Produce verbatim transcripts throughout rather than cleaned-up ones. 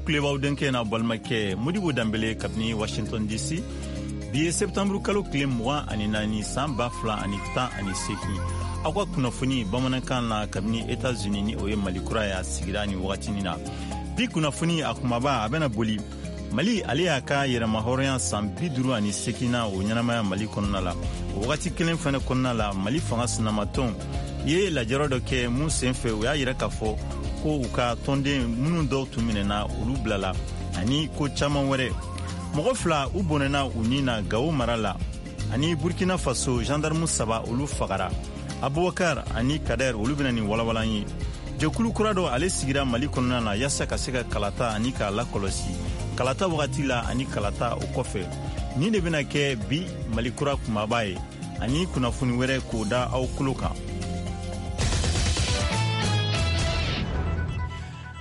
Aw kulo b'aw denkɛ n'a balimakɛ Modibo Danbele kabini Washington D C. Bi ye septembre kalo tile mugan ani naani, san ba fila ani tan ani seegin. Aw ka kunnafoni bamanankan na kabini Etats-Unis, ni o ye Mali kura ye, a sigira nin wagatinin na. Bi kunnafoni a kumaba, a bɛna boli Mali, ale y'a ka yɛrɛmahɔrɔnya san bi duru ani seginna o ɲɛnamaya Mali kɔnɔna la. O wagati kelen fɛnɛ kɔnɔna la, Mali fanga sinamatɔn ye lajɛrɔ dɔ kɛ mun sen fɛ, u y'a yira k'a fɔ ko u ka tɔnden minnu dɔw tun minɛna, olu bilala, ani ko caaman wɛrɛ. Mɔgɔ fila, u bɔnɛna u ni na Gawo mara la, ani Burkina Faso, gendarme saba, olu fagara. Abubakar ani Kader, olu bena nin walawalan ye. Jɛkulu kura dɔ, ale sigira Mali kɔnɔna na yaasa ka se ka kalata ani k'a lakɔlɔsi kalata wagati la ani kalata o kɔfɛ. Nin de bena kɛ bi Mali kura kumaba ye, ani kunnafoni wɛrɛ k'o da aw tulo kan.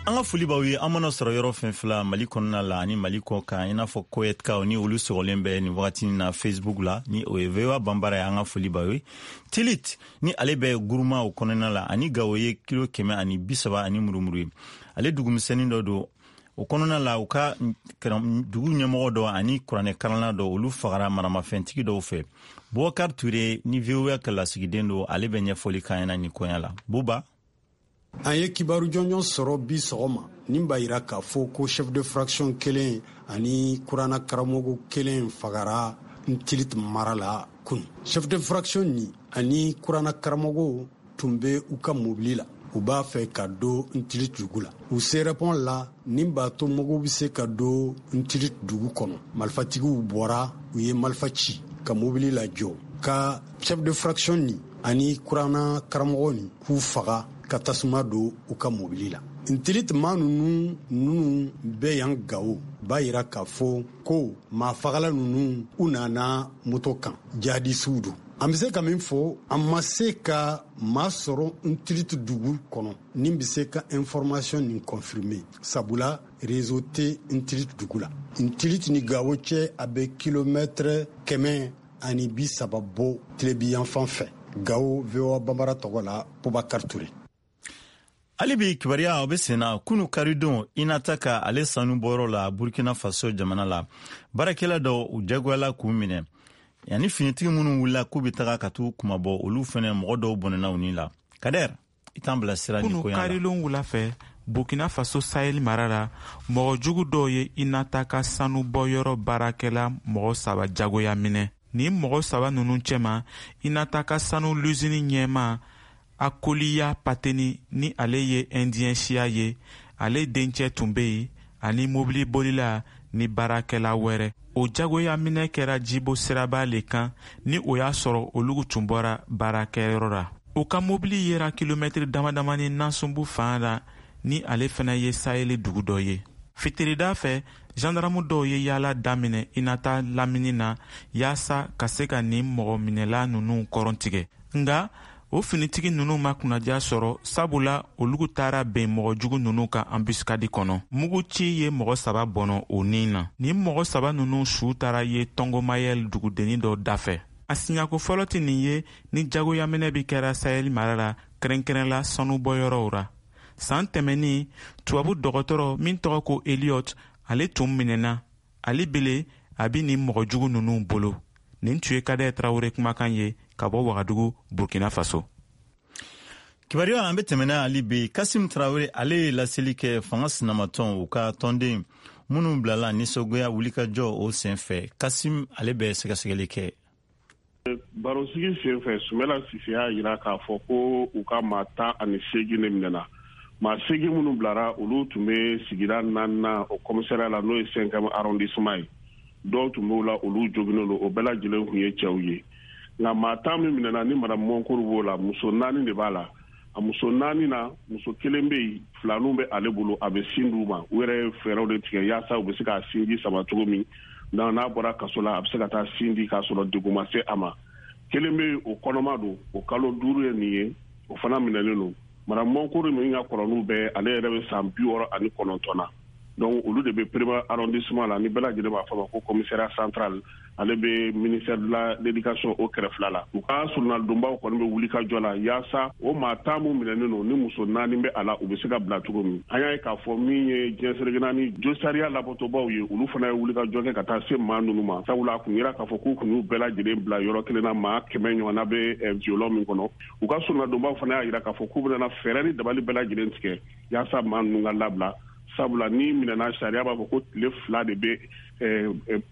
An ka foli b'aw ye, an mana sɔrɔ yɔrɔ fɛn fila Mali kɔnɔna la ani Mali kɔ kan, i n'a fɔ Koyɛtikaw ni olu sɔgɔlen bɛ nin wagati na Facebook la, ni o ye V O A Banbara ye. An ka foli b'aw ye. Tilit, ni ale bɛ Guruma o kɔnɔna la, ani Gawo ye kilo kɛmɛ ani bi saba ani murumuru ye, ale dugumisɛnnin dɔ don o kɔnɔna la. U ka dugu ɲɛmɔgɔ dɔ ani kuranɛ kalanna dɔ, olu fagara maramafɛntigi dɔw fɛ. Bubakar Ture ni V O A ka lasigiden don, ale bɛ ɲɛfɔli k'an ɲɛna nin koɲa la. Buba. An ye kibaru jɔnjɔn sɔrɔ bi sɔgɔma nin b'a yira k'a fɔ ko chef de fraction kelen ani kurana karamɔgɔ kelen fagara Ntilit mara la kunu. Chef de fraction ni ani kurana karamɔgɔ tun bɛ u ka mobili la, u b'a fɛ ka don Ntilit dugu la. U sera pont la nin b'a to mɔgɔw bɛ se ka don Ntilit dugu kɔnɔ, malifatigiw bɔra, u ye malifa ci ka mobili lajɔ, ka chef de fraction ni ani kurana karamɔgɔ ni k'u faga, ka tasuma don u ka mobili la. Ntilit maa nunu nunu bɛ yan Gawo b'a yira k'a fɔ ko maa fagala nunu, u nana moto kan, jihadisiw don. An bɛ se ka min fɔ, an ma se ka maa sɔrɔ Ntilit dugu kɔnɔ nin bɛ se ka information nin confirmer, sabula réseau tɛ Ntilit dugu la. Ntilit ni Gawo cɛ, a bɛ kilomɛtɛrɛ kɛmɛ ani bi saba bɔ tilebiyanfan fɛ. Gawo, V O A Banbara tɔgɔ la, Bubakar Ture. Hali bi kibaruya o bɛ senna. Kunu karidon, Inata ka ale sanu bɔyɔrɔ la Burkina Faso jamana la, baarakɛla dɔ, u jagoyala k'u minɛ, yanni finitigi minnu wulila k'u bɛ taga ka t'u kumabɔ, olu fɛnɛ mɔgɔ dɔw bɔnɛna u ni la. Kader, i t'an bilasira nin Kunu koɲa la. karilon wula fɛ, Burkina Faso Sahel mara la, mɔgɔ jugu dɔw ye Inata ka sanu bɔyɔrɔ baarakɛla mɔgɔ saba jagoya minɛ. Nin mɔgɔ saba nunu cɛma, Inata ka sanu luzini ɲɛma Akoliya Pateni, ni ale ye Indien siya ye, ale dencɛ tun be yen, ani mobilibolila ni baarakɛla wɛrɛ. O jagoya minɛ kɛra Jibo siraba le kan, ni o y'a sɔrɔ olu tun bɔra baarakɛyɔrɔ la. U ka mobili yera kilomɛtiri damadamani Nasunbu fan la, ni ale fana ye Saheli dugu dɔ ye. Fitirida fɛ, zandaramu dɔw ye yaala daminɛ Inata lamini na yaasa ka se ka nin mɔgɔ minɛla nunu kɔrɔn tigɛ, nga o finitigi nunu ma kunnadiya sɔrɔ, sabula olu taara ben mɔgɔ jugu nunu ka embuscade kɔnɔ. Muguci ye mɔgɔ saba bɔnɔ o nin na. Nin mɔgɔ saba nunu su taara ye Tɔngɔmayɛl dugudennin dɔ dafɛ. A siɲako fɔlɔ tɛ nin ye ni jagoyaminɛ bi kɛra Sahel mara la, kɛrɛnkɛrɛn la sanubɔyɔrɔw ra. San tɛmɛnin, tubabu dɔgɔtɔrɔ min tɔgɔ ko Eliot, ale tun minɛna. Ale bele a bi nin mɔgɔ jugu nunu bolo. Nin tun ye Kadɛ Tarawele kumakan ye ka bɔ Wagadugu, Burkina Faso. Kibaruya, an bɛ tɛmɛna hali bi. Kasim Tarawele, ale ye laseli kɛ fanga sinamatɔn, u ka tɔnden minnu bilala nisɔngoya wulikajɔ o sen fɛ. Kasim, ale bɛ sɛgɛsɛgɛli kɛ. Barosigi sen fɛ, Sumala Sise y'a yira k'a fɔ ko u ka maa tan ani seegin de minɛna. Maa seegin minnu bilara, olu tun bɛ sigida naaninan o commissariat la, n'o ye cinquième arrondissement ye. Dɔw tun b'o la, olu joginnen don. O bɛɛ lajɛlen tun ye cɛw ye. Nka maa tan min minɛna, ni madame Mɔnkuru b'o la, muso naani de b'a la. A muso naani na, muso kelen bɛ yen, filaninw bɛ ale bolo, a bɛ sin d'u ma. U yɛrɛ ye fɛɛrɛw de tigɛ yaasa u bɛ se k'a sinji sama cogo min na, n'a bɔra kaso la, a bɛ se ka taa sin di k'a sɔrɔ degun ma se a ma. Kelen bɛ yen, o kɔnɔma don, o kalo duuru ye nin ye, o fana minɛlen don. Madame Mɔnkuru min ka kɔrɔ n'u bɛɛ, ale yɛrɛ bɛ san bi wɔɔrɔ ani kɔnɔntɔn na. Donc olu de bɛ premier arrondissement la, ni bɛɛ lajɛlen b'a fɔ ma ko commissariat central, ale bɛ ministère de la l'éducation o kɛrɛfɛla la. U ka surunalidonbaw kɔni bɛ wuli ka jɔ la yaasa o maa tan mun minɛnen don, ni muso naani bɛ a la, u bɛ se ka bila cogo min. An y'a ye k'a fɔ min ye diɲɛ seleke naani josariya labɔtɔbaw ye, olu fana ye wuli ka jɔ kɛ ka taa se maa ninnu ma, sabula a kun yira k'a fɔ k'u kun y'u bɛɛ lajɛlen bila yɔrɔ kelen na, maa kɛmɛ ɲɔgɔnna bɛ violon min kɔnɔ. U ka surunadonbaw fana y'a yira k'a fɔ k'u bɛna fɛɛrɛ ni dabali bɛɛ lajɛlen tigɛ yaasa maa ninnu ka labila, sabula ni minɛna sariya b'a fɔ ko tile fila de bɛ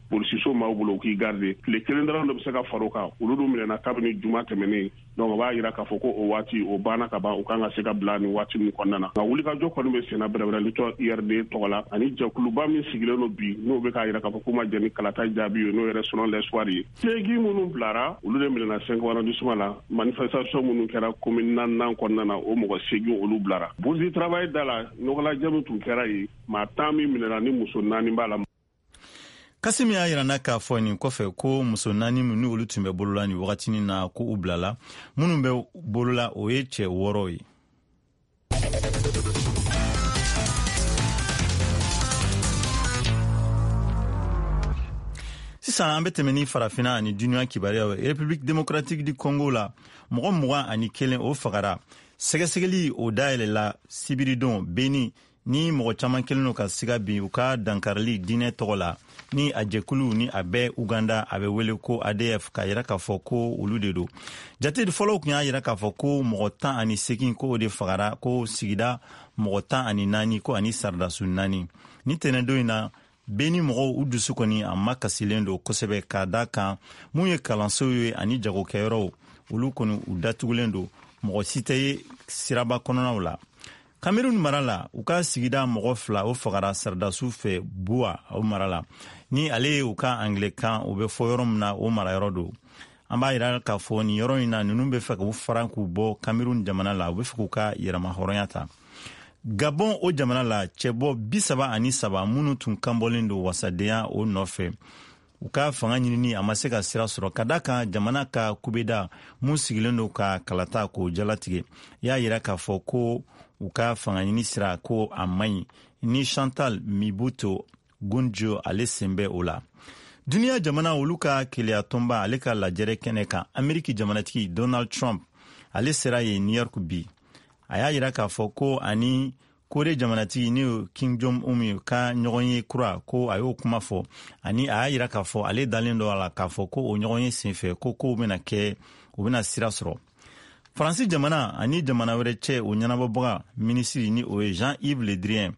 polisiso maaw bolo u k'i garde, tile kelen dɔrɔn de bɛ se ka far'o kan. Olu dun minɛna kabini juma tɛmɛnen, donc o b'a yira k'a fɔ ko o waati o banna ka ban, u kan ka se ka bila nin waati min kɔnɔna na. Nka wulikajɔ kɔni bɛ senna bɛrɛbɛrɛli tɔ I R D tɔgɔ la, ani jɛkuluba min sigilen don bi, n'o bɛ k'a yira k'a fɔ k'u ma jɛn ni kalata jaabi ye, n'o yɛrɛ selon l'espoir ye. Seegin minnu bilara, olu de minɛna cinq arrondissement la, manifestation minnu kɛra commune naaninan kɔnɔna na, o mɔgɔ seegin olu bilara. Bourse du travail da la, ɲɔgɔnlajɛ min tun kɛra yen, maa tan min minɛna ni muso naani b'a la. Kasimi y'a yira n'a k'a fɔ nin kɔfɛ ko muso naani minnu olu tun bɛ bolola nin wagatinin na, ko u bilala. Minnu bɛ bolola, o ye cɛ wɔɔrɔ ye. Sisan an bɛ tɛmɛ ni farafinna ani duniya kibaruyaw ye. République démocratique du Congo la, mɔgɔ mugan ani kelen o fagara. Sɛgɛsɛgɛli o dayɛlɛla sibiridon Beni, ni mɔgɔ caman kelen don ka siga bin u ka dankarili diinɛ tɔgɔ la, ni a jɛkulu ni a bɛ Uganda, a bɛ wele ko A D F, k'a yira k'a fɔ ko olu de don. Jate fɔlɔw tun y'a yira k'a fɔ ko mɔgɔ tan ani seegin ko o de fagara, ko sigida mɔgɔ tan ani naani ko ani saradasu naani. Ni tɛnɛndon in na, Beni mɔgɔw u dusu kɔni a ma kasilen don kosɛbɛ, k'a da kan mun ye kalansow ye ani jagokɛyɔrɔw, olu kɔni u datugulen don, mɔgɔ si tɛ ye siraba kɔnɔnaw la. Cameroun mara la, u ka sigida mɔgɔ fila o fagara sardasiw fɛ Buwa o mara la, ni ale ye u ka anglais-kan o bɛ fɔ yɔrɔ min na, o marayɔrɔ don. An b'a yira k'a fɔ nin yɔrɔ in na, ninnu bɛ fɛ k'u fara k'u bɔ Cameroun jamana la, u bɛ fɛ k'u ka yɛrɛmahɔrɔnya ta. Gabon o jamana la, cɛbɔ bi saba ani saba minnu tun kanbɔlen don wasadenya o nɔfɛ, u ka fanga ɲinini a ma se ka sira sɔrɔ, ka da kan jamana ka kubeda mun sigilen don ka kalata k'o jalatigɛ, y'a yira k'a fɔ ko u ka fanga ɲini sira ko a man ɲi, ni Chantal Mibuto Gunjo ale sen bɛ o la. Duniya jamana olu ka keleya tɔnba ale ka lajɛrɛ kɛnɛ kan, Ameriki jamanatigi Donald Trump ale sera yen New York bi. A y'a yira k'a fɔ ko ani Kore jamanatigi ni Kim Jong-un ka ɲɔgɔn ye kura, ko a y'o kuma fɔ, ani a y'a yira k'a fɔ ale dalen don a la k'a fɔ ko o ɲɔgɔn ye senfɛ ko kow bɛna kɛ, u bɛna sira sɔrɔ. Faransi jamana ani jamana wɛrɛ cɛ o ɲɛnabɔbaga minisiri ni o ye Jean-Yves Le Drian,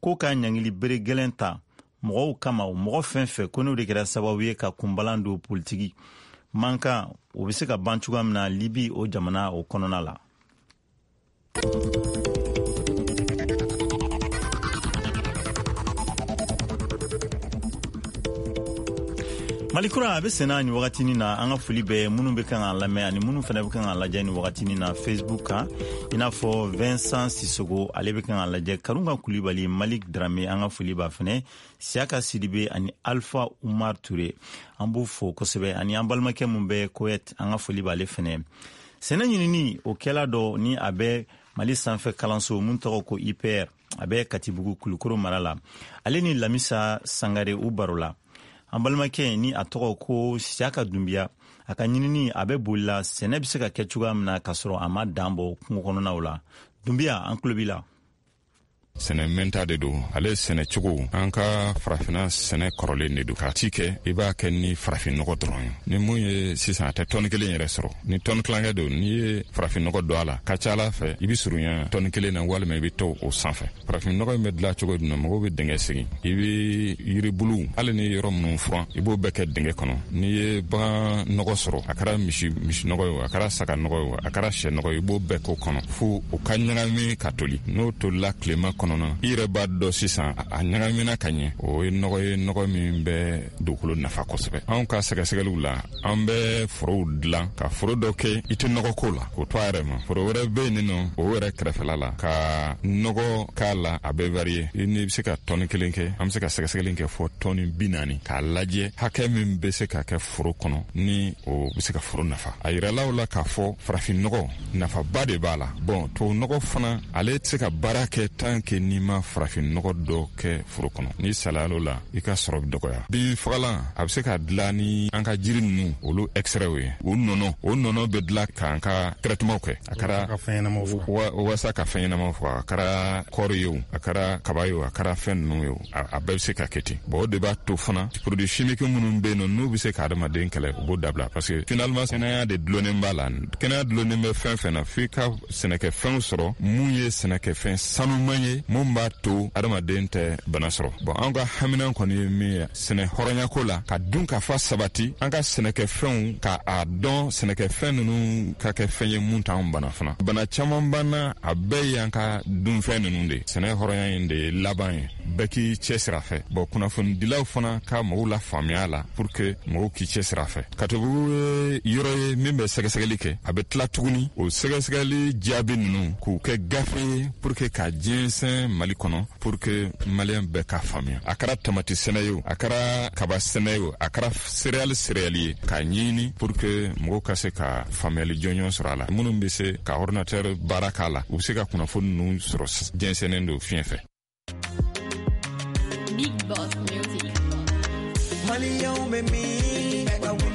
ko ka ɲangili bere gɛlɛn ta mɔgɔw kama, o mɔgɔ fɛn fɛn ko n'o de kɛra sababu ye ka kunbalan don politiki mankan, o bɛ se ka ban cogoya min na Libi o jamana o kɔnɔna la. Malikura a bɛ senna nin wagatinin na. An ka foli bɛ minnu bɛ kan k'an lamɛn ani minnu fana bɛ kan k'an lajɛ nin wagatinin na Facebook kan, i n'a fɔ Vincent Sissogo ale bɛ kan k'an lajɛ, Karunga Kulibali, Malik Drame, an ka foli b'a fana, Siaka Sidibe ani Alpha Umar Touré, an b'u fo kosɛbɛ, ani an balimakɛ mun bɛ Koyet, an ka foli b'ale fana. Sɛnɛ ɲinini o kɛla dɔ ni a bɛ Mali sanfɛ kalanso mun tɔgɔ ko I P R, a bɛ Katibugu Kulukoro mara la, ale ni Lamisa Sangare u baro la. An balimakɛ ni a tɔgɔ ko Siaka Dunbiya, a ka ɲinini a bɛ boli la sɛnɛ bɛ se ka kɛ cogoya min na k'a sɔrɔ a ma dan bɔ kungo kɔnɔnaw la. Dunbiya, an tulo b'i la. Sɛnɛ mɛnta de don, ale sɛnɛ cogo an ka farafinna sɛnɛ kɔrɔlen de don. K'a ci kɛ, i b'a kɛ ni farafinnɔgɔ dɔrɔn ye. Ni mun ye sisan, a tɛ tɔni kelen yɛrɛ sɔrɔ. Ni tɔni tilankɛ don, n'i ye farafinnɔgɔ don a la, ka ca ala fɛ i bɛ surunya tɔni kelen na, walima i bɛ to o sanfɛ. Farafinnɔgɔ in bɛ dilan cogo jumɛn? Mɔgɔw bɛ dingɛ segin, i bɛ yiribuluw, hali ni yɔrɔ minnu furan, i b'o bɛɛ kɛ dingɛ kɔnɔ. N'i ye bagan nɔgɔ sɔrɔ, a kɛra misi misi nɔgɔ ye o, a kɛra saga nɔgɔ ye o, a kɛra sɛ nɔgɔ ye, i b'o bɛɛ k'o kɔnɔ fo o ka ɲagami ka toli. N'o tolila tilema kɔnɔ, i yɛrɛ b'a dɔn sisan a ɲagamina ka ɲɛ. O ye nɔgɔ ye, nɔgɔ min bɛ dugukolo nafa kosɛbɛ. Anw ka sɛgɛsɛgɛliw la, an bɛ forow dilan ka foro dɔ kɛ i tɛ nɔgɔ ko la, k'o to a yɛrɛ ma. Foro wɛrɛ bɛ yen nɔ, o yɛrɛ kɛrɛfɛla la, ka nɔgɔ k'a la, a bɛ varier. I ni bɛ se ka tɔni kelen kɛ, an bɛ se ka sɛgɛsɛgɛli kɛ fɔ tɔni bi naani, k'a lajɛ hakɛ min bɛ se ka kɛ foro kɔnɔ ni o bɛ se ka foro nafa. A yirala o la k'a fɔ farafinnɔgɔ nafaba de b'a la. Bɔn, tubabu nɔgɔ fana, ale tɛ se ka baara kɛ tant que ye n'i ma farafin nɔgɔ dɔ kɛ foro kɔnɔ. N'i salayal'o la, i ka sɔrɔ bɛ dɔgɔya. Bin fagalan a bɛ se ka dilan ni an ka jiri ninnu olu extrait ye, o nɔnɔ o nɔnɔ bɛ dilan k'an ka traitement kɛ. A kɛra walasa ka fɛn ɲɛnamaw faga, a kɛra kɔɔri ye o, a kɛra kaba ye o, a kɛra fɛn ninnu ye o, a bɛɛ bɛ se ka kɛ ten. Bon, o de b'a to fana produit chimique minnu bɛ yen nɔ, n'u bɛ se ka adamaden kɛlɛ, u b'o dabila, parce que finalement kɛnɛya de dulonnen b'a la. Kɛnɛya dulonnen bɛ fɛn fɛn na, f'i ka sɛnɛkɛfɛnw sɔrɔ mun ye sɛnɛkɛfɛn sanuman ye, mun b'a to adamaden tɛ bana sɔrɔ. Bon, an ka haminan kɔni ye min ye sɛnɛ hɔrɔnyako la, ka dun ka fa sabati, an ka sɛnɛkɛfɛnw ka a dɔn sɛnɛkɛfɛn ninnu ka kɛ fɛn ye mun t'anw bana fana. Bana caman banna, a bɛɛ y'an ka dunfɛn ninnu de. Sɛnɛ hɔrɔnya in de ye laban ye, bɛɛ k'i cɛsiri a fɛ. Bon, kunnafonidilaw fana ka mɔgɔw la faamuya la pour que mɔgɔw k'i cɛsiri a fɛ. Katobugu ye yɔrɔ ye min bɛ sɛgɛsɛgɛli kɛ, a bɛ tila tuguni o sɛgɛsɛgɛli jaabi ninnu k'u kɛ gafe ye pour que ka jɛnsɛn Mali kɔnɔ, pour que maliyɛn bɛɛ ka faamuya. A kɛra tamati sɛnɛ ye o, a kɛra kaba sɛnɛ ye o, a kɛra céréale céréale ye, k'a ɲini pour que mɔgɔw ka se ka faamuyali jɔnjɔn sɔrɔ a la. Minnu bɛ se ka ordinateur baara k'a la, u bɛ se ka kunnafoni ninnu sɔrɔ jɛnsɛnnen don fiɲɛ fɛ. Big Boss Music.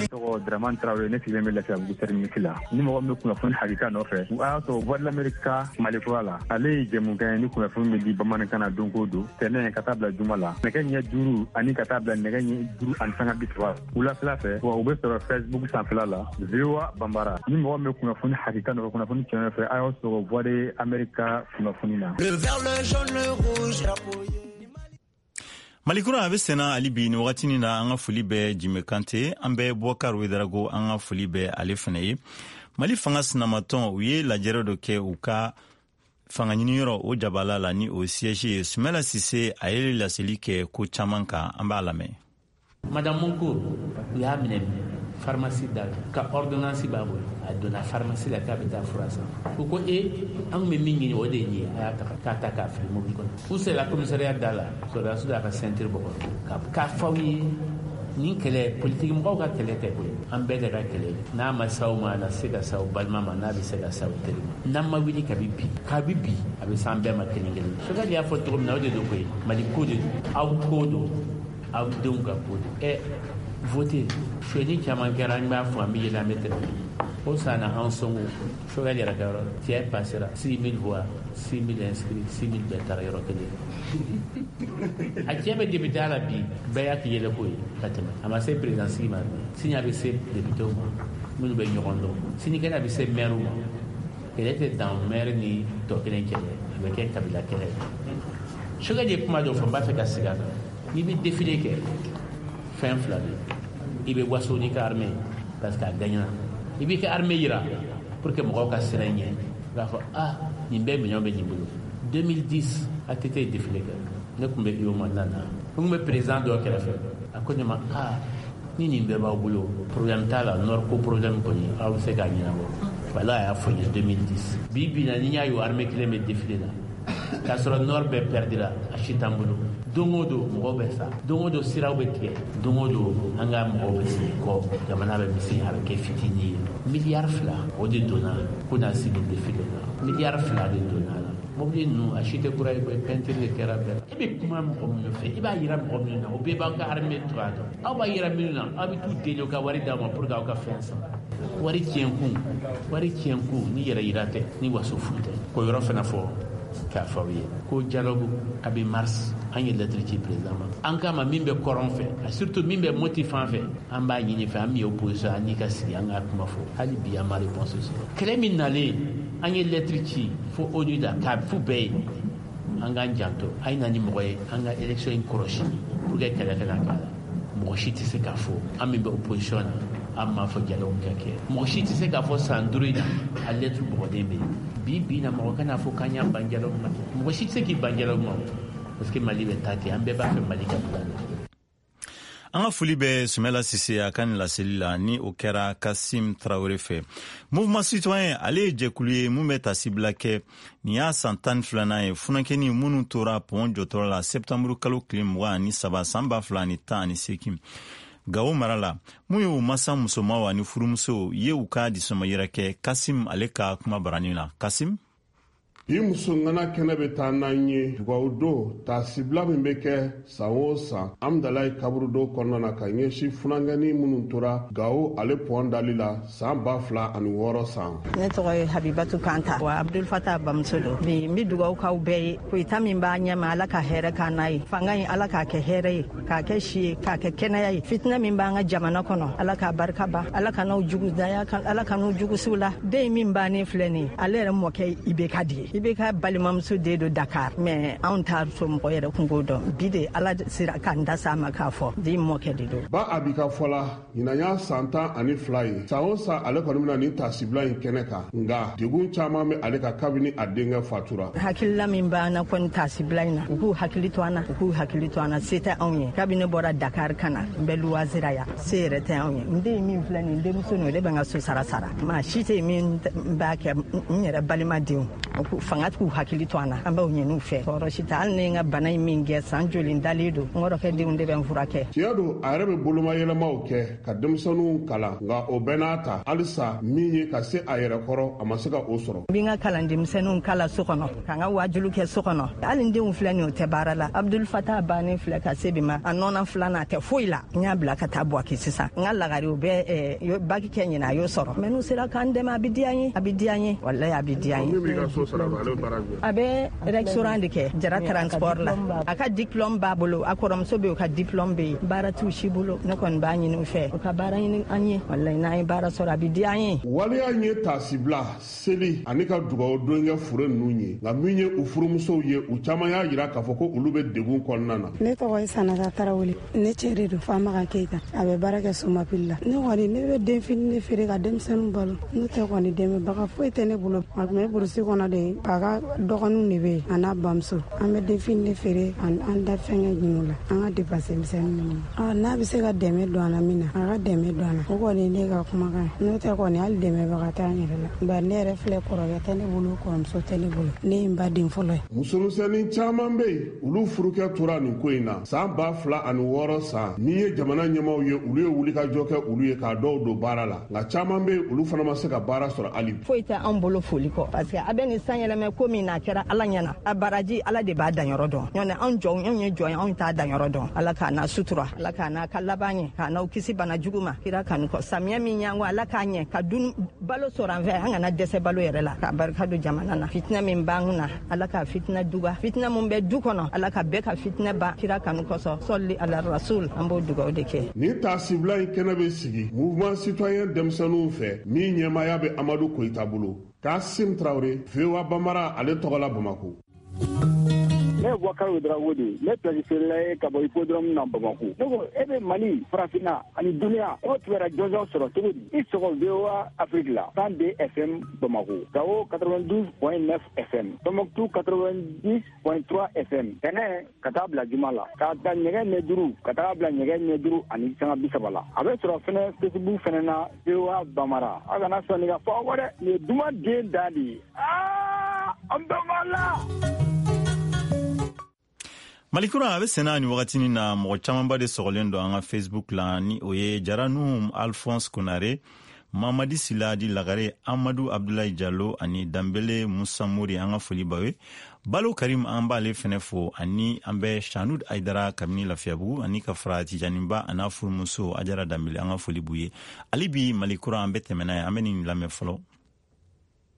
Tɔgɔ Dramane Traoré, ne sigilen bɛ Lafiyabugu terminus la. Ni mɔgɔ min bɛ kunnafoni hakika nɔfɛ, a y'a sɔrɔ Voix de l'Amérique ka Mali kura la. Ale ye jɛmukan ye ni kunnafoni bɛ di bamanankan na don o don, tɛnɛn ka taa bila juma la, nɛgɛ ɲɛ duuru ani ka taa bila nɛgɛ ɲɛ duuru ani sanga bi saba wulafɛla fɛ. Wa u bɛ sɔrɔ Facebook sanfɛla la, V O A Bambara. Ni mɔgɔ min bɛ kunnafoni hakika nɔfɛ, kunnafoni tiɲɛ nɔfɛ, a y'a sɔrɔ Voix de l'Amérique ka kunnafoni na. Le vert, le jaune, le rouge. Malikura a bɛ senna hali bi nin wagatinin na. An ka foli bɛ Jime Kante, an bɛ Bɔkar Wedarago, an ka foli bɛ ale fana ye. Mali fanga sinamatɔn, u ye lajɛrɛ dɔ kɛ u ka fanga ɲiniyɔrɔ o jabala la, ni o siège ye. Sumala Sise, a ye laseli kɛ ko caman kan, an b'a lamɛn. Madame Moncourt, u y'a minɛ pharmacie da la, ka ordonnance b'a bolo, a donna pharmacie la k'a bɛ taa fura san. U ko e, an kun bɛ min ɲini o de ye nin ye, a y'a ta k'a ta k'a fili mobili kɔnɔ. U sera commissariat da la, sɔrɔdasi y'a ka ceinture bɔ k'a fɔ aw ye, nin kɛlɛ politiki mɔgɔw ka kɛlɛ tɛ koyi, an bɛɛ de ka kɛlɛ. N'a ma s'aw ma, a na se ka s'aw balima ma, n'a bɛ se ka s'aw teri ma. N'an ma wuli kabi bi, kabi bi, a bɛ s'an bɛɛ ma kelen kelen. Sokali y'a fɔ cogo min na, o de don koyi, Mali ko de don, aw ko don, aw denw ka ko don. Ɛ vote sonyani caman kɛra, an b'a fɔ an bɛ yɛlɛ, an bɛ tɛmɛ. O san na an sɔngo Sokali yɛrɛ ka yɔrɔ cɛ passera six mille voix, six mille inscrits, six mille bɛɛ taara yɔrɔ kelen. A cɛ bɛ député la bi, bɛɛ y'a k'i yɛlɛ ko ye ka tɛmɛ. A ma se président sigi ma, sini a bɛ se député ma minnu bɛ ɲɔgɔn dɔn, sinikɛnɛ a bɛ se maire ma. Kɛlɛ tɛ dan maire ni tɔ kelen kɛlɛ, a bɛ kɛ kabila kɛlɛ ye. Sokali ye kuma dɔ fɔ, n b'a fɛ ka segin a kan. N'i bɛ défilé kɛ, fɛn fila bɛ yen. I bɛ waso n'i ka armée parce que a gagnera. I b'i ka armée yira pour que mɔgɔw ka siran ɲɛ. I b'a fɔ ah, nin bɛɛ minɛnw bɛ nin bolo. deux mille dix A T T ye défilé kɛ, ne tun bɛ U M A nana, n tun bɛ président dɔ kɛrɛfɛ, a ko ne ma ah, ni nin bɛɛ b'aw bolo, problème t'a la, nord ko problème kɔni aw bɛ se k'a ɲɛnabɔ. Wala a y'a fɔ n ye deux mille dix. Bi bi in na, ni n y'a ye o armée kelen bɛ défilé la, k'a sɔrɔ nord bɛɛ perdira, a si t'an bolo. Don o don mɔgɔw bɛ sa, don o don siraw bɛ tigɛ, don o don an ka mɔgɔw bɛ segin kɔ, jamana bɛ misɛnya, a bɛ kɛ fitinin ye. Miliyari fila o de donna ko na sigi défilé la, miliyari fila de donna la. Mobili ninnu a si tɛ kura ye koyi, peinture de kɛra bɛɛ la. E bɛ kuma mɔgɔ minnu fɛ, i b'a yira mɔgɔ minnu na, o bɛɛ b'aw ka armée cogoya dɔn. Aw b'a yira minnu na, aw bɛ t'u deli u ka wari d'aw ma pour que aw ka fɛn san. Wari tiɲɛ kun, wari tiɲɛ kun ni yɛrɛ yira tɛ, ni waso fu tɛ. K'o yɔrɔ fana fɔ k'a fɔ aw ye ko dialogue a bɛ mars, an ye lettre ci président ma, an k'a ma min bɛ kɔrɔn fɛ, surtout min bɛ Moti fan fɛ, an b'a ɲini fɛ, an min ye opposition, an n'i ka sigi an ka kuma fɔ. Hali bi an ma réponse sɔrɔ. Kɛlɛ min nalen, an ye lettre ci fo ONU la k'a f'u bɛɛ ye, an k'an janto, a ye na ni mɔgɔ ye an ka élection in kɔlɔsi pour que kɛlɛ kana k'a la. Mɔgɔ si tɛ se k'a fɔ an min bɛ opposition na, an m'a fɔ dialogue ka kɛ. Mɔgɔ si tɛ se k'a fɔ san duuru in na a lettre bɔgɔden bɛ yen. Bi bi na mɔgɔ kana fɔ k'an y'an ban dialogue ma. Mɔgɔ si tɛ se k'i ban dialogue ma, parce que Mali bɛ taa ten, an bɛɛ b'a fɛ Mali ka bila la. An ka foli bɛ Sumala Sise a ka nin laseli la, ni o kɛra Kasim Traoré fɛ. Mouvement citoyen, ale ye jɛkulu ye mun bɛ tasibila kɛ. Nin y'a san tan ni filanan ye funankɛni minnu tora pɔn jɔtɔrɔ la septembre kalo tile mugan ani saba san ba fila ani tan ani seegin Gawo mara la, mun ye u masa musomanw ani furumusow ye u ka disɔngɔyira kɛ. Kasim ale ka kuma barani na. Kasim. Bi muso ŋana kɛnɛ bɛ taa n'an ye dugawu don taasibila min bɛ kɛ san o san Amdalayi kaburudo kɔnɔna na ka ɲɛsin funankɛnin minnu tora Gawo ale pɔn dali la san ba fila ani wɔɔrɔ san. Ne tɔgɔ ye Habibatu Kanta wa Abdul Fatah bamuso don. Bi n bɛ dugawu k'aw bɛɛ ye. Koyita min b'a ɲɛma, Ala ka hɛrɛ k'an n'a ye. Fanga in, Ala k'a kɛ hɛrɛ ye, k'a kɛ si ye, k'a kɛ kɛnɛya ye. Fitinɛ min b'an ka jamana kɔnɔ, Ala k'a barika ban, Ala ka n'aw jugu daya, Ala ka n'u jugu la. Den min bannen filɛ nin ye, ale yɛrɛ mɔkɛ I B K de ye. I B K balimamuso den don Dakar, mais anw t'a somɔgɔ yɛrɛ kungo dɔn. Bi de Ala sera k'an da s'a ma k'a fɔ den mɔkɛ de don. Ba Abi ka fɔ la, ɲinan y'a san tan ani fila ye. San o san ale kɔni bɛna nin tasibila in kɛnɛ kan, nka degun caman bɛ ale kan kabini a denkɛ fatura. Hakilila min b'an na kɔni tasibila in na, u k'u hakili to an na, u k'u hakili to an na. Se tɛ anw ye. Kabini ne bɔra Dakar ka na, n bɛ luwazira yan, se yɛrɛ tɛ anw ye. N den min filɛ nin, denmuso nin, o de bɛ n ka so sara sara. Maa si tɛ min b'a kɛ, n yɛrɛ balima denw. Fanga k'u hakili to an na, an b'aw ɲini u fɛ. Tɔɔrɔ si tɛ. Hali ni n ka bana in min kɛ, san joli dalen don, n kɔrɔkɛ denw de bɛ n furakɛ. Tiɲɛ don, a yɛrɛ bɛ bolomayɛlɛmaw kɛ ka denmisɛnninw kalan, nka o bɛɛ n'a ta, halisa min ye ka se a yɛrɛ kɔrɔ, a ma se ka o sɔrɔ. N bɛ n ka kalan denmisɛnninw kala so kɔnɔ, ka n ka wajulu kɛ so kɔnɔ. Hali n denw filɛ nin, o tɛ baara la. Abdul Fatah bannen filɛ ka se bi ma, a nɔnɔ filanan, a tɛ foyi la. N y'a bila ka taa Buwaki sisan. N ka lagare, o bɛ bac kɛ ɲinɛ, a y'o sɔrɔ. Mais n'u sera k'an dɛmɛ, a bɛ diya n ye, a bɛ diya n ye, walayi, a bɛ diya n ye. A bɛ restaurant de kɛ Jara Transport la. A ka diplôme b'a bolo, a kɔrɔmuso bɛ yen, o ka diplôme bɛ yen. Baara t'u si bolo. Ne kɔni b'a ɲini u fɛ, u ka baara ɲini an ye. Walayi, n'an ye baara sɔrɔ, a bɛ diya an ye. Waleya in ye taasibila, seli ani ka dugawu don kɛ fure ninnu ye, nka min ye u furumusow ye, u caman y'a jira k'a fɔ ko olu bɛ degun kɔnɔna na. Ne tɔgɔ ye Sanata Tarawele. Ne cɛ de don, Famakan Keyita. A bɛ baara kɛ Somapili la. Ne kɔni, ne bɛ denfini de feere ka denmisɛnninw balo. N'o tɛ kɔni, dɛmɛbaga foyi tɛ ne bolo. A tun bɛ burusi kɔnɔ de, a ka dɔgɔninw de bɛ yen, a n'a bamuso. An bɛ denfini de feere, an da fɛnkɛ ɲini la, an ka dépense misɛnnin ninnu. N'a bɛ se ka dɛmɛ don an na min na, a ka dɛmɛ don an na. O kɔni ne ka kumakan ye. N'o tɛ kɔni, hali dɛmɛbaga t'an yɛrɛ la. Bari ne yɛrɛ filɛ, kɔrɔkɛ tɛ ne bolo, kɔrɔmuso tɛ ne bolo. Ne ye n ba den fɔlɔ ye. Musomisɛnnin caman bɛ yen, olu furukɛ tora nin ko in na san ba fila ani wɔɔrɔ san. Min ye jamana ɲɛmaw ye, olu ye wulikajɔ kɛ olu ye k'a dɔw don baara la, nka caman bɛ yen, olu fana ma se ka baara sɔrɔ hali bi. Foyi tɛ anw bolo foli kɔ, parce que a bɛ nin san yɛlɛmɛ ko min na, a kɛra Ala ɲɛna. A baraji, Ala de b'a danyɔrɔ dɔn. Ɲɔntɛ anw jɔnw, anw ye jɔn ye, anw t'a danyɔrɔ dɔn. Ala k'a n'a sutura, Ala k'a n'a ka laban ɲɛ, k'a n'aw kisi bana jugu ma, kira kanu kɔ. Samiyɛ min y'an kɔ, Ala k'a ɲɛ ka dun balo sɔrɔ an fɛ, an kana dɛsɛ balo yɛrɛ la, k'a barika don jamana na. Fitinɛ min b'an na, Ala ka fitinɛ duga. Fitinɛ mun bɛ du kɔnɔ, Ala ka bɛɛ ka fitinɛ ban, kira kanu kosɔn. Sɔli ala rasul, an b'o dugawu de kɛ. Nin taasibila in kɛnɛ bɛ sigi Mouvement citoyen denmisɛnninw fɛ, min ɲɛmaaya bɛ Amadu Koyita bolo. Kasim Tarawele, V O A Bambara ale tɔgɔ la, Bamako. Ne ye Bubakari Ouédraogo de ye. Ne place feerela ye ka bɔ hippodrome na Bamako. Ne ko e bɛ Mali, Farafinna ani duniya, e b'o kibaruya jɔnjɔn sɔrɔ cogo di? I sɔgɔ V O A Afrique la, cent deux F M Bamako, Gao quatre-vingt-douze point neuf F M, Tombouctou quatre-vingt-dix point trois F M. Tɛnɛ ka taa bila juma la, k'a ta nɛgɛ ɲɛ duuru ka taa bila nɛgɛ ɲɛ duuru ani sanga bi saba la. A bɛ sɔrɔ fɛnɛ Facebook fɛnɛ na, V O A Bamara. Aw kana sɔn nin ka fɔ aw kɔ dɛ, nin ye duman den da de ye. Aa, an bɛɛ b'a la. Malikura a bɛ senna ni wagatinin na, mɔgɔ camanba de sɔgɔlen don an ka Facebook la, ni o ye Jaranu Alphonse Konare, Mamadi Sila di Lagare, Amadu Abdulayi Jalo ani Danbele Musa Mori. An ka foli b'aw ye. Balo Karim, an b'ale fɛnɛ fo, ani an bɛ Shanud Aidara kabini Lafiyabugu, ani ka fara Tijaniba a n'a furumuso Ajara Danbele, an ka foli b'u ye. Ale bi Malikura, an bɛ tɛmɛ n'a ye, an bɛ nin lamɛn fɔlɔ.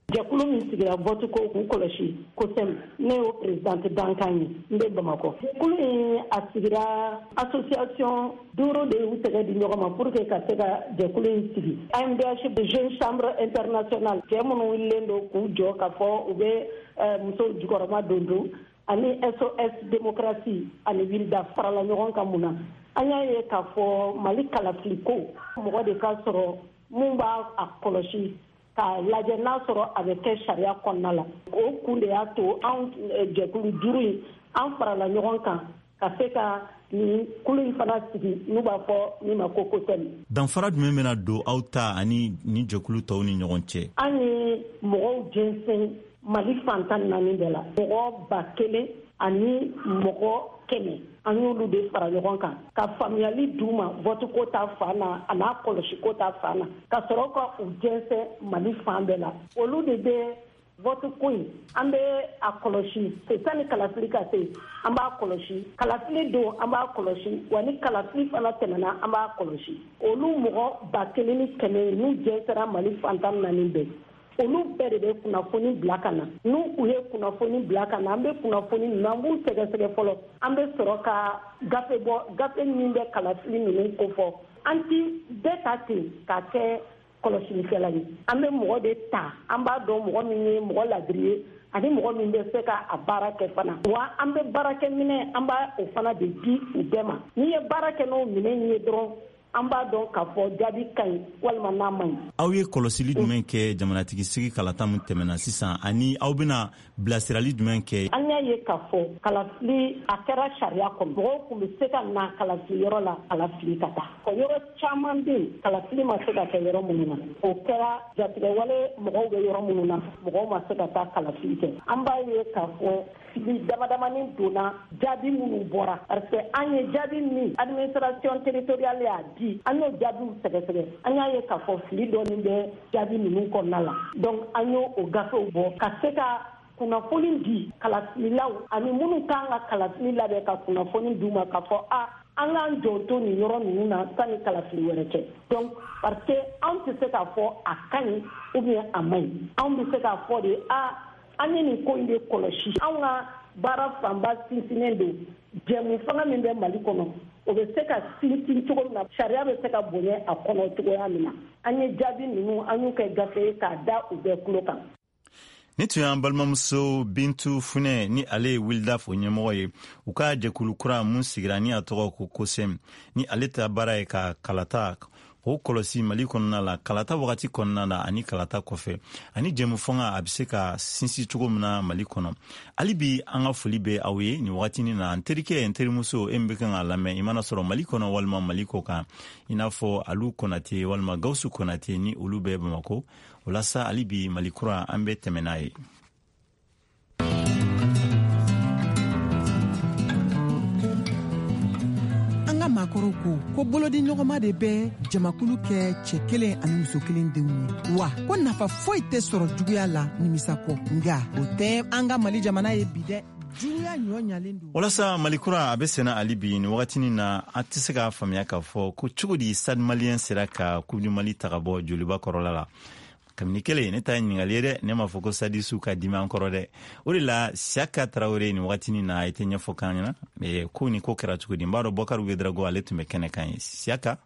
Jɛkulu min sigira vote ko k'u kɔlɔsi COSEM, ne y'o présidente dankan ye, n bɛ Bamakɔ. Jɛkulu in a sigira, association duuru de y'u tɛgɛ di ɲɔgɔn ma pour que ka se ka jɛkulu in sigi. A M D H de Jeune Chambre Internationale, cɛ minnu wulilen don k'u jɔ k'a fɔ u bɛ musow jukɔrɔma don don, ani S O S démocratie ani Wilda farala ɲɔgɔn kan. Mun na? An y'a ye k'a fɔ Mali kalafili ko, mɔgɔ de ka sɔrɔ mun b'a a kɔlɔsi k'a lajɛ n'a sɔrɔ a bɛ kɛ sariya kɔnɔna la. O kun de y'a to anw jɛkulu duuru in, an farala ɲɔgɔn kan ka se ka nin kulu in fana sigi, n'u b'a fɔ min ma ko COSEM. Danfara jumɛn bɛna don aw ta ani ni jɛkulu tɔw ni ɲɔgɔn cɛ? An ye mɔgɔw jɛnsɛn Mali fan tan naani bɛɛ la, mɔgɔ ba kelen ani mɔgɔ kɛmɛ, an y'olu de fara ɲɔgɔn kan ka faamuyali d'u ma vote ko ta fan na, a n'a kɔlɔsi ko ta fan na, ka sɔrɔ ka u jɛnsɛn Mali fan bɛɛ la. Olu de bɛ Vote ko in, an bɛ a kɔlɔsi sani kalafili ka se, an b'a kɔlɔsi. Kalafili don, an b'a kɔlɔsi. Wa ni kalafili fana tɛmɛna, an b'a kɔlɔsi. Olu mɔgɔ ba kelen ni kɛmɛ n'u jɛnsɛra Mali fan tan naani bɛɛ, olu bɛɛ de bɛ kunnafoni bila ka na. N'u u ye kunnafoni bila ka na, an bɛ kunnafoni ninnu, an b'u sɛgɛsɛgɛ fɔlɔ. An bɛ sɔrɔ ka gafe bɔ, gafe min bɛ kalafili ninnu kofɔ. An ti bɛɛ ta ten k'a kɛ kɔlɔsilikɛla ye. An bɛ mɔgɔ de ta, an b'a dɔn mɔgɔ min ye mɔgɔ ladiri ye ani mɔgɔ min bɛ se ka a baara kɛ fana. Wa an bɛ baarakɛminɛ, an b'a o fana de di u bɛɛ ma. N'i ye baara kɛ n'o minɛn ye dɔrɔn, an b'a dɔn k'a fɔ jaabi ka ɲi walima n'a man ɲi. Aw ye kɔlɔsili jumɛn kɛ jamanatigi sigi kalata min tɛmɛna sisan, ani aw bɛna bilasirali jumɛn kɛ? An y'a ye k'a fɔ kalafili a kɛra sariya kɔnɔ. Mɔgɔw tun bɛ se ka na kalafili yɔrɔ la, kalafili ka taa. Yɔrɔ caman bɛ yen, kalafili ma se ka kɛ yɔrɔ minnu na. O kɛra jatigɛwale mɔgɔw bɛ yɔrɔ minnu na, mɔgɔw ma se ka taa kalafili kɛ. An b'a ye k'a fɔ fili damadamanin donna jaabi minnu bɔra, parce que an ye jaabi min administration territoriale y'a di, an y'o jaabiw sɛgɛsɛgɛ, an y'a ye k'a fɔ fili dɔɔnin bɛ jaabi ninnu kɔnɔna la. Donc an y'o o gafew bɔ ka se ka kunnafoni di kalafililaw ani minnu kan ka kalafili labɛn, ka kunnafoni d'u ma k'a fɔ a an k'an jɔ to nin yɔrɔ ninnu na sani kalafili wɛrɛ cɛ. Donc parce que anw tɛ se k'a fɔ a ka ɲi ou bien a man ɲi, anw bɛ se k'a fɔ de a an ye nin ko in de kɔlɔsi. Anw ka baara fanba sinsinnen don jɛmu fanga min bɛ Mali kɔnɔ, o bɛ se ka sinsin cogo min na, sariya bɛ se ka bonya a kɔnɔ cogoya min na. An ye jaabi ninnu, an y'u kɛ gafe ye k'a da u bɛɛ tulo kan. Ni tun y'an balimamuso Bintu Funɛ, ni ale ye WILDAF ɲɛmɔgɔ ye, u ka jɛkulu kura mun sigira ni a tɔgɔ ko COSEM, ni ale ta baara ye ka kalata o kɔlɔsi Mali kɔnɔna la, kalata wagati kɔnɔna la ani kalata kɔfɛ, ani jɛmu fanga a bɛ se ka sinsin cogo min na Mali kɔnɔ. Hali bi an ka foli bɛ aw ye nin wagatinin na. N terikɛ, n terimuso, e min bɛ kan k'a lamɛn, i mana sɔrɔ Mali kɔnɔ walima Mali kɔ kan, i n'a fɔ Alu Konate walima Gawusu Konate, ni olu bɛ Bamakɔ. O la sa, hali bi Mali kura an bɛ tɛmɛ n'a ye. An ka maakɔrɔw ko ko bolodi ɲɔgɔnma de bɛ jamakulu kɛ cɛ kelen ani muso kelen denw ye, wa ko nafa foyi tɛ sɔrɔ juguya la nimisa kɔ. Nka o tɛ an ka Mali jamana ye bi dɛ. Walasa Mali kura a bɛ senna hali bi nin wagatinin na, an tɛ se k'a faamuya k'a fɔ ko cogo di Stade Malien sera ka Coupe du Mali ta ka bɔ Joliba kɔrɔla la. Kabini kelen ne ta ye ɲininkali ye dɛ, ne m'a fɔ ko Sadisu ka dimi an kɔrɔ dɛ. O de la Siaka Tarawele nin wagatinin na, a tɛ ɲɛfɔ k'an ɲɛna ko ni ko kɛra cogo di. N b'a dɔn Bɔkari Wedrago ale tun bɛ kɛnɛ kan ye. Siaka.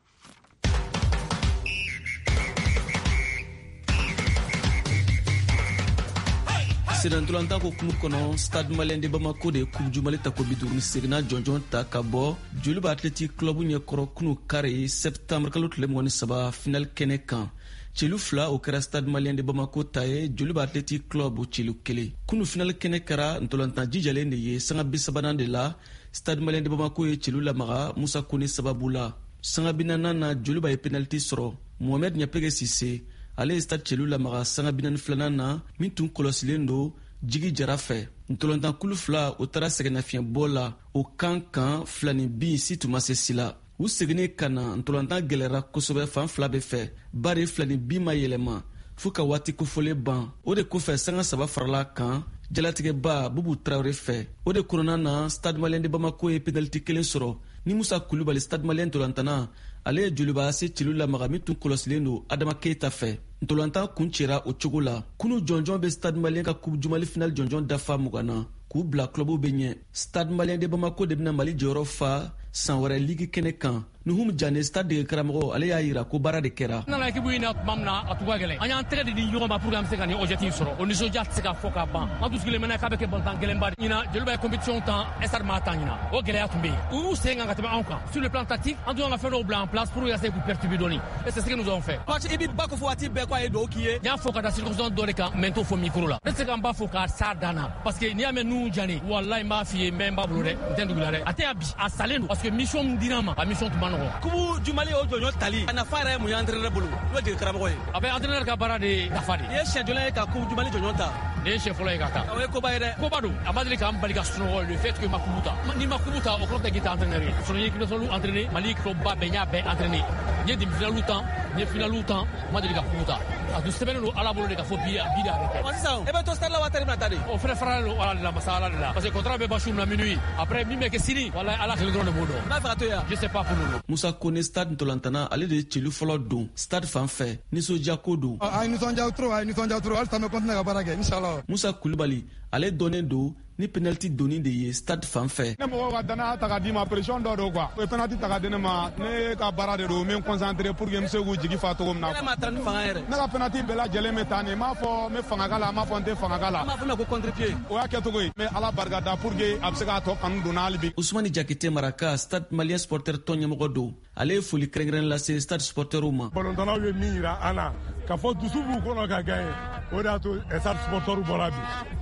Senantolantan ko kumu kɔnɔ, Stade Malien de Bamako de Coupe du Mali tako bi duuru ni seginna jɔnjɔn ta ka bɔ Joliba Athletic Club ɲɛkɔrɔ kunu kari septembre kalo tile mugan ni saba final kɛnɛ kan. Celu fila o kɛra Stade Malien de Bamako ta ye, Joliba Athletic Club celu kelen. Kunu final kɛnɛ kɛra ntolantan jijalen de ye. Sanga bi sabanan de la, Stade Malien de Bamako ye celu lamaga Musa Kone sababu la. Sanga bi naaninan na, Joliba ye penalty sɔrɔ. Mohamed Ɲapege Sise ale ye Stade celu lamaga sanga bi naani filanan na, min tun kɔlɔsilen don Jigi Jara fɛ. Ntolantan kulu fila o taara sɛgɛnnafiɲɛbɔ la o kan kan fila ni bin si tun ma se si la. U seginnen ka na, ntolantan gɛlɛyara kosɛbɛ fan fila bɛɛ fɛ, bari fila ni bin ma yɛlɛma fo ka waati kofɔlen ban. O de kɔfɛ sanga saba farala kan jalatigɛba Bubu Tarawele fɛ. O de kɔnɔna na, Stade Malien de Bamako ye penalty kelen sɔrɔ ni Musa Kulubali Stade Malien ntolantanna, ale ye Joliba se celu lamaga min tun kɔlɔsilen don Adama Keita fɛ. Ntolantan kun cɛra o cogo la. Kunu jɔnjɔn bɛ Stade Malien ka Coupe du Mali final jɔnjɔn dafa mugan na k'u bila clubw bɛ ɲɛ. Stade Malien de Bamako de bɛna Mali jɔyɔrɔ fa san wɛrɛ ligue kɛnɛ kan. Nuhum Jane, Stade dege karamɔgɔ, ale y'a yira ko baara de kɛra. N nana équipe in na tuma min na, a tun ka gɛlɛn. An y'an tɛgɛ de di ɲɔgɔn ma pour que an bɛ se ka nin objectif sɔrɔ. O nisɔndiya tɛ se ka fɔ ka ban. An tun sigilen bɛ n'a k'a bɛ kɛ balontan gɛlɛnba de. Ɲinan Joliba ye compétition tan, Stade m'a tan ɲinan. O gɛlɛya tun bɛ yen. U y'u sen kan ka tɛmɛ anw kan. Sur le plan tactique, an tun y'an ka fɛn dɔw bila en place pour essayer k'u perturber dɔɔni. Et c'est ce que nous avons fait. Coach, i b'i ba ko fɔ waati bɛɛ ko a ye dugawu k'i ye. N y'a fɔ ka da circonstance dɔ de kan, mais n t'o fɔ micro la. Ne tɛ se ka n ba fo k'a s'a dan na. Parce que n'i y'a mɛn Nuhum Jane, walahi n b'a f'i ye, n bɛ n ba bolo dɛ, n tɛ n dugu la dɛ. A tɛ yan bi, a salen don. Parce que mission min dira n ma, a mission tun ma nɔgɔn. Coupe du Mali o jɔnjɔn tali, a nafa yɛrɛ ye mun ye entraîneur bolo? N'o ye dege karamɔgɔ ye. A bɛ entraîneur ka baara de nafa de. I ye siɲɛ joli ye ka Coupe du Mali jɔnjɔn ta? Nin ye siɲɛ fɔlɔ ye ka taa. O ye koba ye dɛ. Koba don. A ma deli k'an bali ka sunɔgɔ le fait que ma coupe ta. N'i ma coupe ta, o kɔrɔ tɛ k'i tɛ entraîneur ye. Sinon n ye équipe nationale entraîné, Mali club ba bɛɛ n y'a bɛɛ entraîné. N ye demi-finale tan, N ye finaliw tan, n ma deli ka coupe ta. A tun sɛbɛnnen don Ala bolo de ka fɔ bi bi de a bɛ kɛ. Ɔ sisan e bɛ to stade la wa tari bɛna taa de? O fɛnɛ faralen don Ala de la, masa Ala de la. Parce que contrat bɛ ban su min na minuit. Après min bɛ kɛ sini, walahi Ala kelen dɔrɔn de b'o dɔn. N b'a fɛ ka to yan. Je sais pas pour le moment. Musa Kone stade ntolantana, ale de ye celu fɔlɔ don stade fan fɛ, nisɔndiya ko don. A ye nisɔndiya trop, a ye nisɔndiya trop, halisa an bɛ continuer ka baara kɛ inchallah. Musa Kulubali, ale dɔnnen don ni penalty donni de ye stade fan fɛ. Ne mɔgɔw ka danaya ta ka d'i ma, pression dɔ don quoi. O ye penalty ta ka di ne ma, ne ka baara de don, n bɛ n concentré pour que n bɛ se k'u jigi fa cogo min na. Ne ma taa ni fanga yɛrɛ. Ne ka penalty bɛɛ lajɛlen bɛ taa nin, n m'a fɔ n bɛ fanga k'a la, n m'a fɔ n tɛ fanga k'a la. N b'a fɔ ma ko contre-pied. O y'a kɛcogo ye, n bɛ Ala barika da pour que a bɛ se k'a tɔ kanu don hali bi. Usumani Jakite Maraka, stade malien supporter tɔn ɲɛmɔgɔ don. Ale ye foli kɛrɛnkɛrɛn lase stade supporterw ma. Balontannaw ye min yira an na, k'a fɔ dusu b'u kɔnɔ ka gagner, o de y'a to stade supporterw bɔra bi.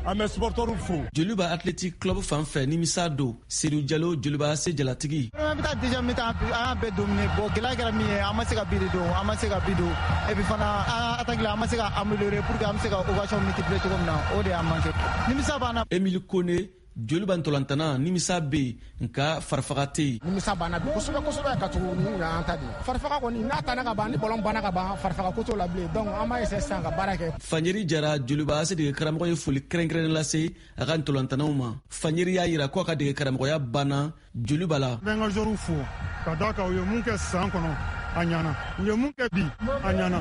An bɛ supporterw fo. Joliba Athletic Club fan fɛ, nimisa don. Seydou Jalo, Joliba A C jalatigi. An bɛ taa deuxième mi-temps, an y'a bɛɛ dominer. Bon, gɛlɛya kɛra min ye, an ma se ka but de don, an ma se ka but don. Et puis fana, an attaque la, an ma se ka améliorer pour que an bɛ se ka occasion multiplier cogo min na, o de y'an manqué. Nimisa b'an na. Emile Kone, Joliba ntolantana, nimisa bɛ yen nka farifaga tɛ yen. Nimisa banna bi kosɛbɛ kosɛbɛ ka tugu ni y'an ta de. Farifaga kɔni n'a tanna ka ban, ni ballon banna ka ban, farifaga ko t'o la bilen. Donc an b'a essayer sisan ka baara kɛ. Fanjeri Jara, Joliba A C dege karamɔgɔ ye foli kɛrɛnkɛrɛnnen lase a ka ntolantanaw ma. Fanjeri y'a yira ko a ka dege karamɔgɔya banna Joliba la. N bɛ n ka joueurs fo ka d'a kan u ye mun kɛ san kɔnɔ a ɲɛna, u ye mun kɛ bi a ɲɛna.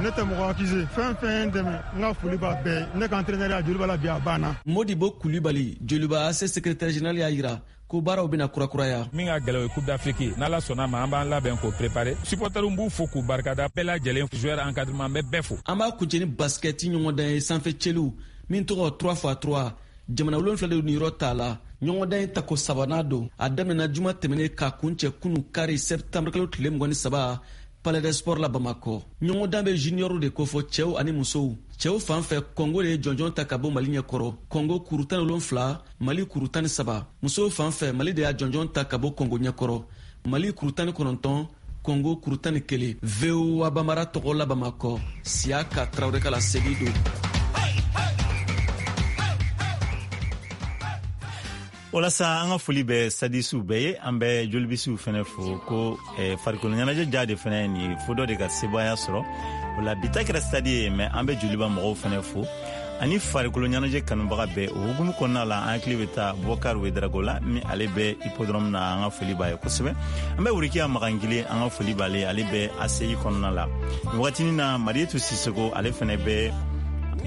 Ne tɛ mɔgɔ accusé, fɛn fɛn ye n dɛmɛ, n ka foli b'a bɛɛ. Ne ka entraîneur ya Joliba la bi a banna. Modibo Kulibali, Joliba A C secrétaire général y'a yira ko baaraw bɛna kurakuraya. Min ka gɛlɛ o ye Coupe d'Afrique ye, n'Ala sɔnna ma an b'an labɛn k'o préparer. Supporters b'u fo k'u barikada bɛɛ lajɛlen, joueur encadrement bɛ bɛɛ fo. An b'a kuncɛ ni basket ɲɔgɔndan ye sanfɛ cɛliw min tɔgɔ trois fois trois. Jamana wolonfila de niyɔrɔ t'a la. Ɲɔgɔndan in tako sabanan don. A daminɛna juma tɛmɛnen k'a kuncɛ kunu kari septembre kalo tile mugan ni saba Palais des Sports la Bamakɔ. Ɲɔgɔndan bɛ junior de kofɔ, cɛw ani musow. Cɛw fan fɛ, Kɔngo de ye jɔnjɔn ta ka bɔ Mali ɲɛkɔrɔ. Kɔngo kuru tan ni wolonfila, Mali kuru tan ni saba. Musow fan fɛ, Mali de y'a jɔnjɔn ta ka bɔ Kɔngo ɲɛkɔrɔ. Mali kuru tan ni kɔnɔntɔn, Kɔngo kuru tan ni kelen. V O A Bamara tɔgɔ la Bamakɔ, Siyaka Tarawele ka laseli don. Walasa an ka foli bɛ sadisiw bɛɛ ye, an bɛ jolibisiw fɛnɛ fo ko eh, farikolo ɲɛnajɛ ja de fɛnɛ nin ye, fo dɔ de ka sebaaya sɔrɔ o la. Bi ta kɛra stade ye, mɛ an bɛ Joliba mɔgɔw fɛnɛ fo ani farikolo ɲɛnajɛ kanubaga bɛɛ. O hukumu kɔnɔna la, an hakili bɛ taa Bɔkar Wedrago la min ale bɛ hippodrome na, an ka foli b'a ye kosɛbɛ. An bɛ Wurikiya Magangile, an ka foli b'ale, ale bɛ A C I kɔnɔna la nin wagatinin na. Marietu Sisoko, ale fɛnɛ bɛ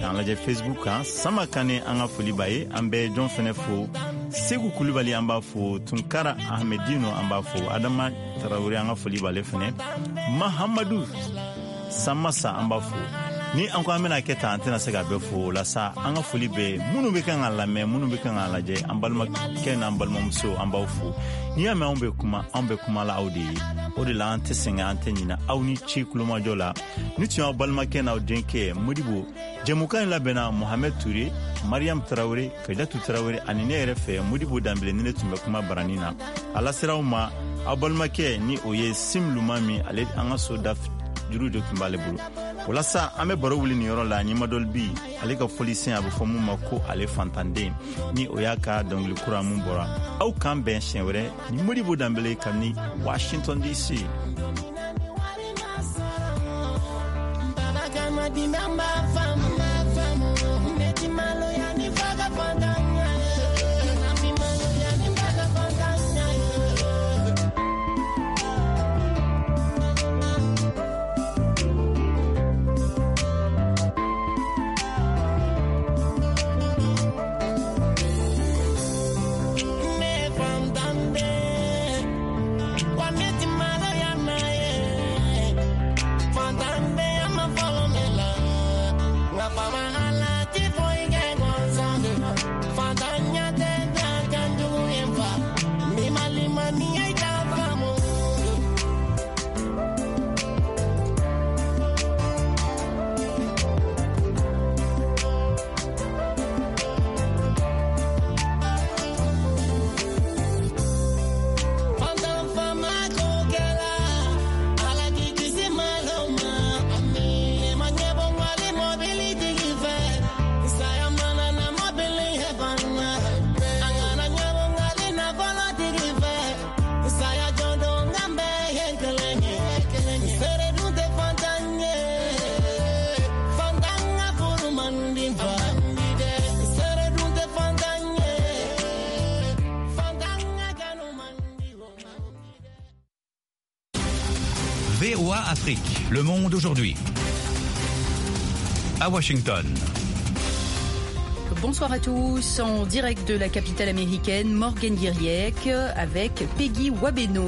an lajɛ Facebook kan. Sama Kane, an ka foli b'a ye. An bɛ jɔn fɛnɛ fo? Segu Kulubali, an b'a fo. Tunkara Ahmedino, an b'a fo. Adama Tarawele, an ka foli b'ale fɛnɛ. Mahamadu Samasa, an b'a fo. Ni an ko an bɛna kɛ tan, an tɛna se ka bɛɛ fo o la sa. An ka foli bɛ minnu bɛ kan ka lamɛn, minnu bɛ kan ka lajɛ, an balimakɛ n'an balimamuso, an b'aw fo. N'i y'a mɛn anw bɛ kuma, anw bɛ kuma la aw de ye. O de la an tɛ sɛgɛn, an tɛ ɲinɛ aw ni ci kulomajɔ la. Ni tun y'aw balimakɛ n'aw denkɛ Modibo. Jɛmukan in labɛnna Mohamed Touré, Mariam Tarawele, Kajatu Tarawele ani ne yɛrɛ fɛ Modibo Danbele. Ni ne tun bɛ kuma barani na, a lasera aw ma aw balimakɛ ni o ye Sim Luma min, ale an ka so da juru de tun b'ale bolo. Walasa an bɛ baro wuli nin yɔrɔ la, ɲimadɔli bi ale ka fɔlisen a bɛ fɔ mun ma ko ale fantanden, ni o y'a ka dɔnkili kura mun bɔra. Aw k'an bɛn siɲɛ wɛrɛ ni Modibo Danbele kabini Washington D C. Mama, I like it for you. V O A Afrique, le monde aujourd'hui. À Washington. Bonsoir à tous, en direct de la capitale américaine, Morgan Guiriec avec Peggy Wabeno.